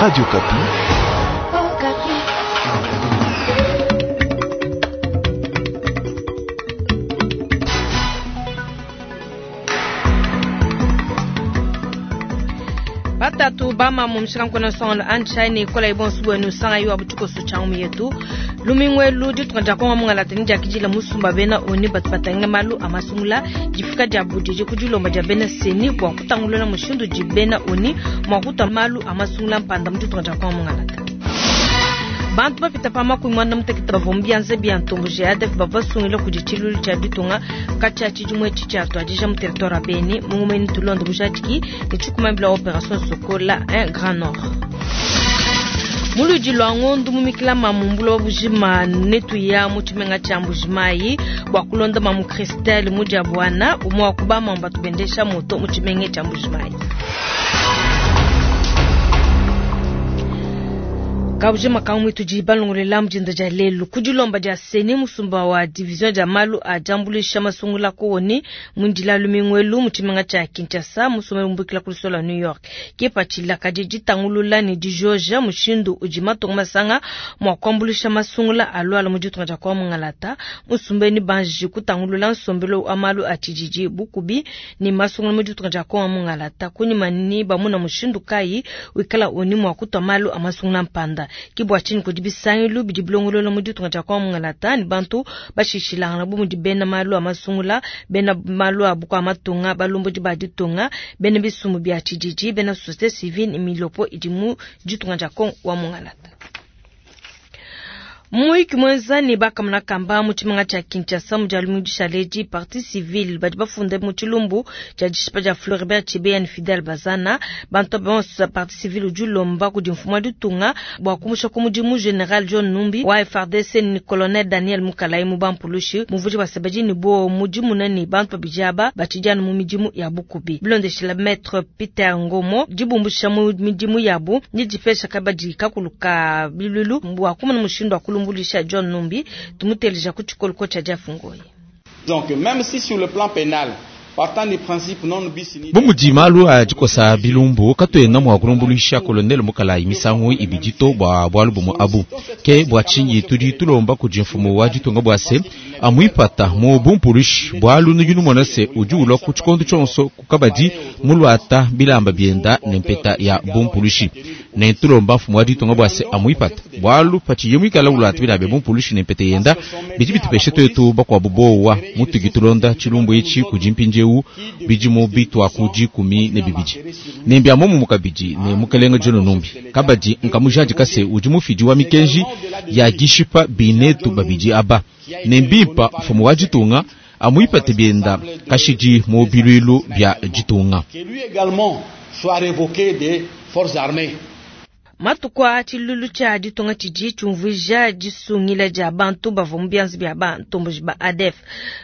Radio Okapi. Batatu bamamu mushikankwena songolo anchaine ikola ibonso bwenu sanga yiwa butukosu changu yetu lumingwelu ditunga dia kongo mungalata ni diakidila musumba bena oni batu batanga malu amasungula difika dia budidi ku dilomba dia bena seni bua kutangulula mushindu di bena oni mua kutua malu amasungula mpanda mu ditunga dia kongo mungalata. Bantu bapita pa makumi muanda mutekete bavua mu bianza bia ntombo GADF bavua basungila kudi tshilulu tshia ditunga katshia tshidimu etshi tshiatuadija mu territoire ya Beni mu ngumeni tulonde bujadiki ne tshikumambila opération Sokola 1 Grand Nord. Muludi lwa ngondu mumikila mamu mbula wa bujima netuya mu tshimenga tshia Mbujimayi bua kulonda mamu Christelle mudia bwana umwe wa kubama batu bendesha moto mu tshimenga tshia Mbujimayi. Kabujima kamwe tudi balongolela mujinda dia lelu kudilomba dia seni musumba wa division dia malu a jambulisha masungula kuoni mundila lumingwelu mutshimenga tshia Kinshasa musumba umbukila ku New York kipatshila kadi ditangulula ne dijoja mushindu udi matunga masanga mua kuambulisha masungula aluala mu ditunga dia kwa mungalata musumbeni banji kutangulula nsombelo wa malu a tshididi bukubi ne masungula mu ditunga dia kwa mungalata kunyima ni bamuna mushindu kayi wikala oni mua kutua malu a masungula mpanda kibwa chini kudi bisangilu bidi bilongolola mu ditunga dia kwa mungalata ni bantu bashishilangana bu mudi bena malu a masungula bena malu a bukua matunga balombodi ba ditunga bena bisumu bia tshididi bena société civile ni milopo idi mu ditunga dia Kongo wa mungalata. Muyiki mwenza ne bakamuna kamba mu tshimenga tshia Kinshasa mu dia lumingu dishaledi parti civile badi bafunde mu tshilumbu tshia dishipa dia Floribert Chebeya ne Fidel Bazana bantu bonso parti civile udi ulomba kudi mfumu wa ditunga bua kumusha ku mudimu General John Numbi wa FARDC ni Colonel Daniel Mukalayi mu bampulushi muvudi wa sebedi ne bo mudimu nani bantu babidi aba batshidi mu midimu ya bukubi bilondeshila Maître Peter Ngomo dibumbusha mu midimu yabu ni dipesha kabadi kakulu ka bilulu bua kumona mushindu wa kulumbulisha John Numbi tumuteleja ku tshikolo tshia Diafungoyi. Donc même si sur le plan pénal partant du principe non bis in idem bu mudi malu a dikosa bilumbu katuena mua kulumbulisha kolonele Mukalayi misangu ibidi to bua bualu bumue abu ke bua tshinyi tudi tulomba kudi mfumu wa ditunga bua se amuipata mu bumpulushi bualu nudi numona se udi ulua ku tshikondo tshionso kukabadi muluata bilamba bienda ne mpeta ya bumpulushi ne tulomba mfumu wa ditunga bua se amuipata bualu patshiye muikala uluata bilamba bia bumpulushi ne mpeta yenda bidi bitupeshe tuetu bakuabu bowa mutuki tulonda tshilumbu etshi kudi mpindiewu bidimu bitua ku 12 ne mbia momumu kabidi ne mukelenge John Numbi kabadi nkamujadika se udi mufidi wa mikenji ya gishipa binetu babidi aba ne mbimpa mfumu wa ditunga amuipate bienda kashidi mu bilwilu bia ditunga. Que lui également soit révoqué des forces armées. Matuku a tshilulu tshia ditunga tshidi tshiumvuija disungila dia bantu bavua mu bianza bia bantomboji ba ADF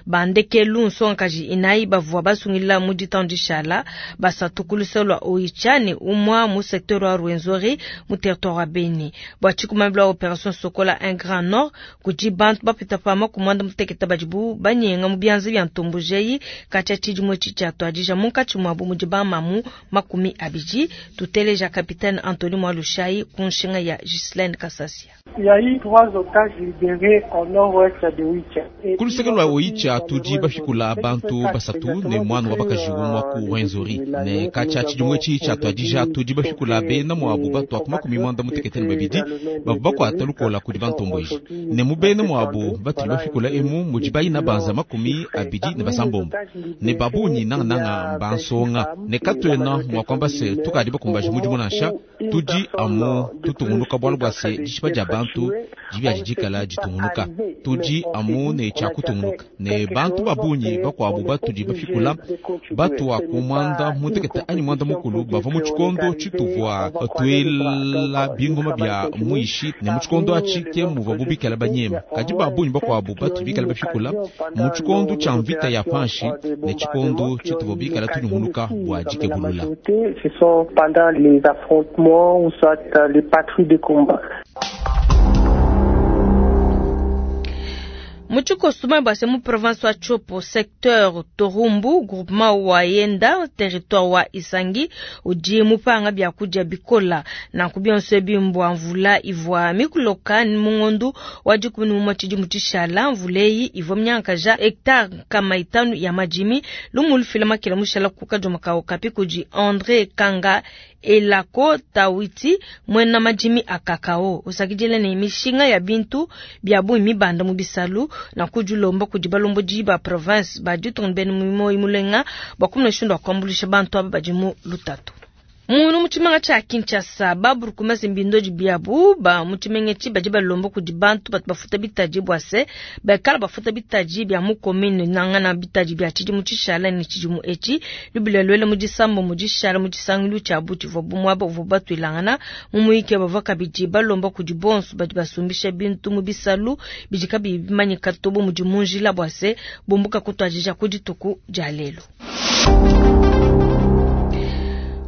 bandekelu nsongakaji inayi bavua basungila mu ditanu dishala basatu ku luseke lua Oicha ne umua mu secteur wa Rwenzori mu territoire wa Beni bua tshikumambila wa opération Sokola 1 Grand Nord kudi bantu bapita pa makumi muanda mutekete badibu banyenga mu bianza bia ntomboji eyi katshia tshidimu etshi tshiatuadija munkatshi muabu mudi bamamu 20. Tuteleja capitaine Anthony Mwalushai kunshinga ya Ghislaine Kasasia. Il y a eu 3 otages libérés au nord-ouest de Oicha. Ku luseke lua Oicha tudi bafikula bantu basatu ne mwana wa bakaji umua ku Rwenzori ne katshia tshidimu etshi tshiatuadija tudi bafikula bena muabu batua ku 92 bavua bakuata lukola kudi bantomboji ne mu bena muabu batudi bafikula emu mudi bayina banza 26 ne babunyi nangananga mbansonga ne katuena mua kuamba se tukadi bakumbaje mudimu nansha tudi amu tutungunuka bualu bua se dishipa dia bantu dibia didikala ditungunuka tudi amu ne tshia kutungunuka ne bantu babunyi bakuabu batudi bafikula batua ku 11 anyi 10 bavua mu tshikondo tshituvua tuela bingoma bia muishi ne mu tshikondo atshi ke muvua bubikala banyema kadi babunyi bakuabu batudi bikala bafikula mu tshikondo tshia mvita ya panshi ne tshikondo tshituvua bikala tunyunguluka bua dikebulula. Ce sont pendant les affrontements ou soit les patrouilles de combat. Mu tshikoso base mu province wa Tshopo, secteur Torumbu, groupement wa Yenda, territoire wa Isangi, udi mupanga byakudia bikola na kubionso bimbwa mvula ivwa mikuloka mungondu wa 11 tshidimu tshishala mvuleyi ivwa mnyankaja hectare kama 5 ya majimi lumulu fila makila mushala kuka joma kapi kudi André Kanga elako tawiti mwena majimi akakao usakijele ne mishinga ya bintu bya bu mibanda mu bisalu na kujulomba kudi balombo ba province ba ditunga bene mu mulenga bakumna shundo akwambulisha bantu aba badi mu lutatu. Munu muchimenga cha Kinshasa baburu kumese mbindoji biabu ba muchimenga chi baji balombo kudi bantu batu bafuta bitaji bwase bakala bafuta bitaji bya mu commune nangana bitaji bya chidi muchishala ni chidi mu echi lubila lwele mudisambo mudishala mudisangilu cha buti vo bumwaba uvo batwilangana mumuike bavaka biji balomba kudi bonso baji basumbisha bintu mu bisalu bijika bimanyika tobo mudi munjila bwase bombuka kutwajija kudituku jalelo.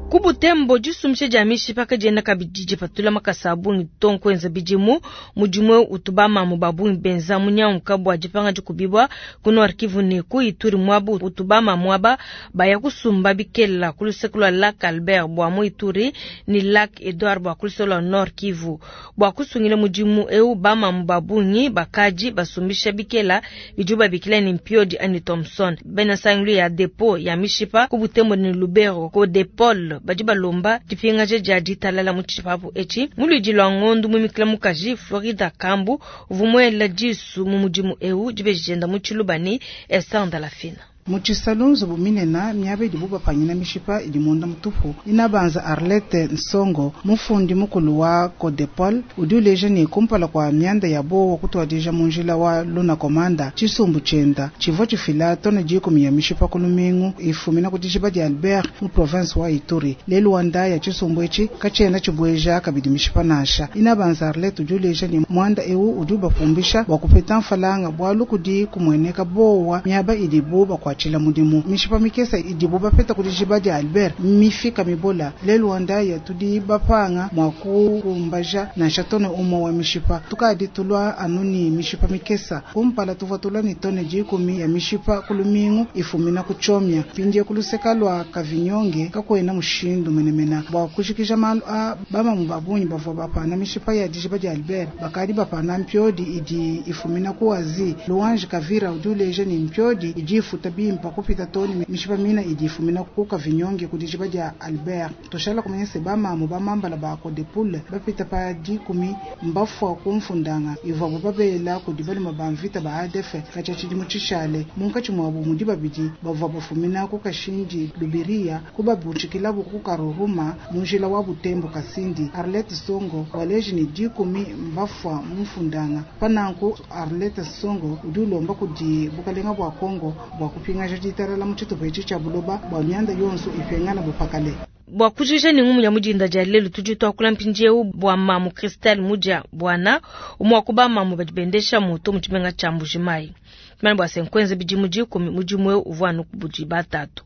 Kubutembo jisumishe jamishi paka jenda kabidiji patula makasabu ngitonko enza bidimu mudimwe utubama mu babu benza munyanka bwa jipanga jikubibwa kuno arkivu ne ku Ituri mwabu utubama mwaba baya kusumba bikela kulusekula Lac Albert bwa mu Ituri ni Lac Edouard bwa kulusela Nord Kivu bwa kusungile mudimu eu bama mu babungi bakaji basumbisha bikela bijuba bikela ni Mpiodi ani Thompson bena sanglu ya depo ya mishipa kubutembo ni Lubero ko depol badi balomba dipingaje dia ditalala mu tshipapu etshi muludi lwa ngondu mu mikila mukaji Florida Kambu uvumuela disu mu mudimu eu dibejenda mu tshilubani Esther Lafina. Mutshisalu nzubu minena miaba idibu bapanyina mishipa idi munda mutupu inabanza Arlette Nsongo mufundi mukulu wa Codepol udi uleja ne kumpala kwa mianda ya bowa kutwadija munjila wa Luna Komanda tshisumbu tshienda tshivua tshifila tona 10 ya mishipa ku lumingu ifumina ku dijiba dia Albert mu province wa Ituri lelu wa ndaya tshisumbu etshi katshiena tshibweja kabidi mishipa nansha inabanza Arlette udi uleja ne muanda eu udi ubapumbisha bua kupeta mfalanga bwalu kudi kumueneka bowa miaba idibu bakwatshila mudimu mishipa mikesa idibu bapeta ku dijiba dia Albert mifika mibola lelu wa ndaya tudi bapanga mwa kukumbaja nansha tone umwe wa mishipa tukadi tulwa anuni mishipa mikesa kumpala tuvua tulwa ni tone 10 ya mishipa kulumingu ifumina kuchomya pindie kuluseka lwa kavinyonge kakwena mushindu menemena bwa kushikisha malu a bamamu babunyi bavua bapana mishipa ya dijiba dia Albert bakadi bapana mpiodi idi ifumina kuwazi Luange Kavira udi uleja ni mpiodi idi ifuta bimpa kupita toni mishipa mina idi ifumina kuka vinyonge kudijiba dia Albert toshala kumanyese bamamu bamambala ba Codepol bapita pa 10 mbafwa kumfundanga ivwa babela kudi baluma ba mvita ba ADF kacha tshidimu tshishale munkatshi mwabu mudi babidi bavua bafumina ku Kashindi Lubiria kubabutshikilabu ku Karuruma munjila wa Butembo Kasindi Arlette Songo waleji ni 10 mbafwa mumfundanga pananku Arlette Songo udi ulomba kudi bukalenga bwa Kongo bwa kupinga ditalala mu tshitupa etshi tshia buloba bwa mianda yonso ipengana bupakale bwa kujisha ni ngumu ya mujinda dia lelu tudi twakula mpindieu bwa mamu Christelle Mudia bwana umwa kuba mamu badibendesha moto mu tshimenga tsha Mbujimayi mane bwa senkwenze bidimu 10 mudimu eu uvua anu kubudi batatu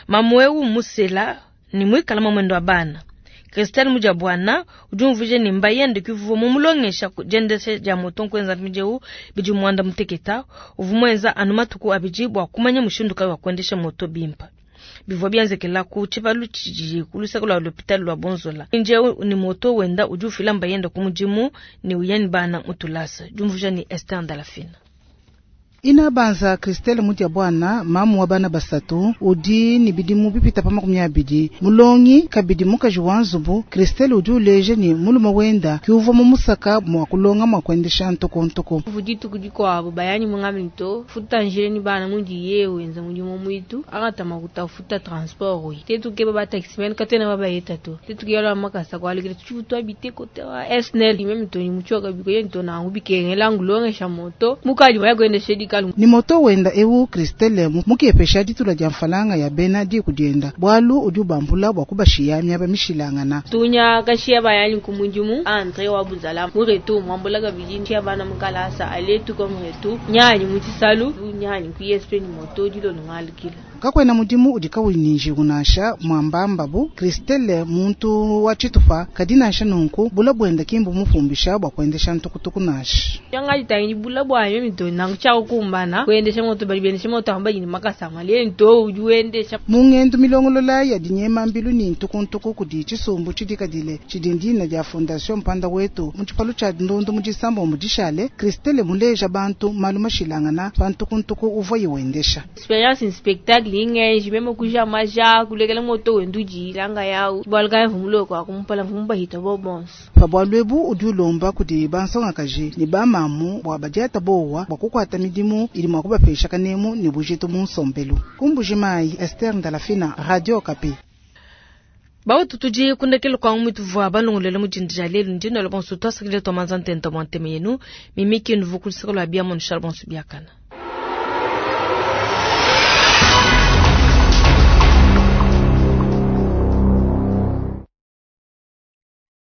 mamu eu musela ni mwikala mamwendo wa bana Christelle Mudia bwana udi umvuje ni mbayende kivuvo mu mulongesha kujendesha dia moto nkwenza mpindieu bidi mwanda muteketa uvumwenza anu matuku abidi bwa kumanya mushindu kayi wa kuendesha moto bimpa bivua bianzekela ku tshibalu tshidi ku luseke lwa l'hôpital lwa Bonzola njeu ni moto wenda udi ufila mbayenda ku mudimu ni uyani bana mutulasa jumvuja ni Esther Ndalafina. Ina banza Christelle Mudia bwana mamu wa bana basatu udi ni bidimu bipita pa 20 mulongi kabidi mukaji wa nzubu Christelle udi uleje ni muluma wenda kiuva mu musaka mwa kulonga mwa kuendesha ntoko ntoko vuditu kudikwabo bayani mungami to futa njile ni bana mundi yewe enza mudimu mwitu akata makuta futa transport we tetu ke ba taximen katena baba yeta to tetu ke yala makasa kwalikile tutu abite kote wa SNL meme to ni muchoka biko yento na ngubikengela ngulongesha moto mukaji wa kuendesha ni moto wenda ewu Christelle mukiepesha ditula dia mfalanga ya bena di kudienda bwalu udi ubambula bwa kubashiya miaba mishilangana tunya kashiya bayani kumundimu Andre wa buzala muretu mwambula kabidi ntia bana mukalasa aletu kwa muretu nyanyi mutisalu nyanyi ku ESP ni moto dilo ngalikila. Kakuena mudimu udi kawuyi ne njiwu nansha, muambambabu Christelle muntu wa tshitupa, kadi nansha nunku bula buenda ki mbumupumbisha bua kuendesha ntukutuku nansha. Yanga bula bua mimi to nangu tshia kukumbana kuendesha moto bali bendesha moto amba ni makasa male nto udi wendesha. Mu ngendu milongolola ya dinyema mbilu ni ntukuntuku kudi tshisumbu tshidikadile tshidi ndina dia Fondation Mpanda Wetu mu tshipalu tshia ndundu mu disambo dishale, Christelle muleja bantu malu mashilangana pa ntukuntuku uvua wendesha. Experience in spectacle ingenji meme kuja maja kulekela moto wendu jilanga yao bwalga mvumulo kwa kumpala mvumba hita bobonso. Pa bualu ebu udi ulomba kudi bansongakaji ne bamamu bua badiata bowa bua kukuata midimu idi mua kubapesha kanemu ne bujitu mu nsombelu. Kumbuji Mayi, Esther Ndalafina, Radio Okapi. Bautu tudi kundekelo kwa mutuvua balongolele mudindi dia lelu ndino bonso twasakile twamanza ntenta mwa nteme yenu mimiki nuvu kulisaka lwa bia mono bonso biakana.